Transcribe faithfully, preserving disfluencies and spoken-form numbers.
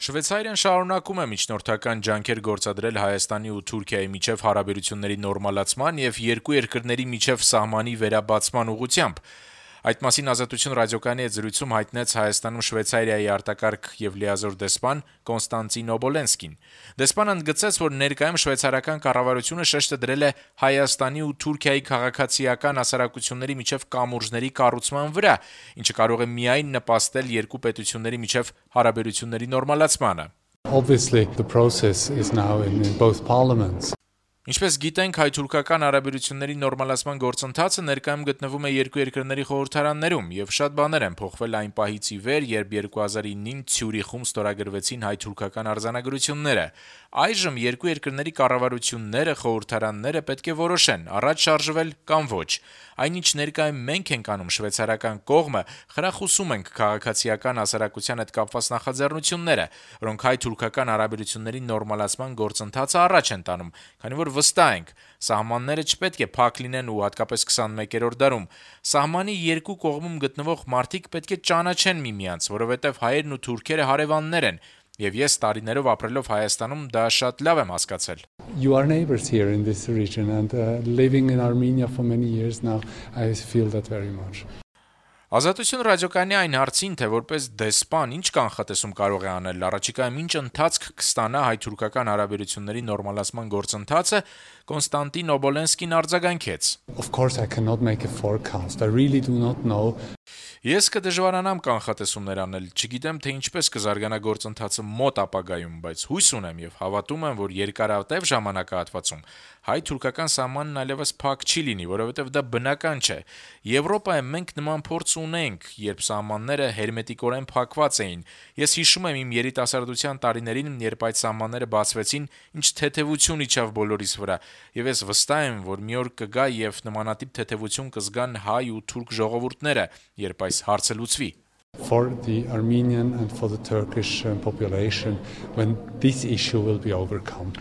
Շվեյցարիան շարունակում է միջնորդական ջանքեր գործադրել Հայաստանի ու Թուրքիայի միջև հարաբերությունների նորմալացման եւ երկու երկրների միջև սահմանի վերաբացման ուղղությամբ։ Այդ մասին Ազատություն ռադիոկայանի հետ զրույցում հայտնեց Հայաստանում Շվեյցարիայի արտակարգ եւ լիազոր դեսպան Կոնստանտին Օբոլենսկին։ Դեսպանը ընդգծեց, որ ներկայում շվեյցարական կառավարությունը շեշտը դրել է Հայաստանի ու Թուրքիայի քաղաքացիական հասարակությունների միջև կամուրջների կառուցման վրա, ինչը կարող է միայն նպաստել երկու պետությունների միջև հարաբերությունների նորմալացմանը։ Obviously, the process is now in, in both parliaments. Ինչպես գիտենք, հայ-թուրքական հարաբերությունների նորմալացման գործընթացը ներկայում գտնվում է երկու երկրների խորհրդարաններում, եւ շատ բաներ են փոխվել այն պահից ի վեր, երբ երկու հազար ինին Ցյուրիխում ստորագրվեցին հայ-թուրքական արձանագրությունները։ Այժմ երկու երկրների կառավարությունները, խորհրդարանները պետք է որոշեն՝ առաջ շարժվել կամ ոչ։ Այնինչ ներկայում մենք ենք անում շվեյցարական կողմը, խրախուսում ենք քաղաքացիական հասարակության հետ կապված նախաձեռնությունները, որոնք հայ-թուրքական հարաբերությունների նորմալացման գործընթացը առաջ են տանում, քանի որ վստահ ենք, սահմանները չպետք է փակ լինեն ու հատկապես քսանմեկերորդ դարում։ Սահմանի երկու կողմում գտնվող մարդիկ պետք է ճանաչեն միմյանց, որովհետև հայերն ու թուրքերը հարևաններ են, եւ ես տարիներով ապրելով Հայաստանում դա շատ լավ եմ հասկացել։ You are neighbors here in this region and uh, living in Armenia for many years now, I feel that very much. Ազատություն ռադիոկայանի այն հարցին, թե որպես դեսպան ինչ կանխատեսում կարող է անել առաջիկայում ինչ ընթացք կստանա հայ-թուրքական հարաբերությունների նորմալացման գործընթացը, Կոնստանտին Օբոլենսկին արձագանքեց. Of course I cannot make a forecast. I really do not know. Ես կդժվարանամ կանխատեսումներ անել, չգիտեմ, թե ինչպես կզարգանա գործընթացը մոտ ապագայում, բայց հույս ունեմ եւ հավատում եմ, որ երկարատև ժամանակահատվածում հայ-թուրքական սահմանն այլևս փակ չի լինի, որովհետեւ դա բնական չէ։ Եվրոպայում մենք նման փորձ ունենք, երբ սահմանները հերմետիկորեն փակված էին։ Ես հիշում եմ իմ երիտասարդության տարիներին, երբ այդ սահմանները բացվեցին, ինչ թեթևություն իջավ բոլորիս վրա, եւ ես վստահ եմ, որ մի օր կգա եւ նմանատիպ թեթևություն կզգան հայ ու թուրք ժողովուրդները, երբ այս հարցը լուծվի։ For the Armenian and for the Turkish population when this issue will be overcome.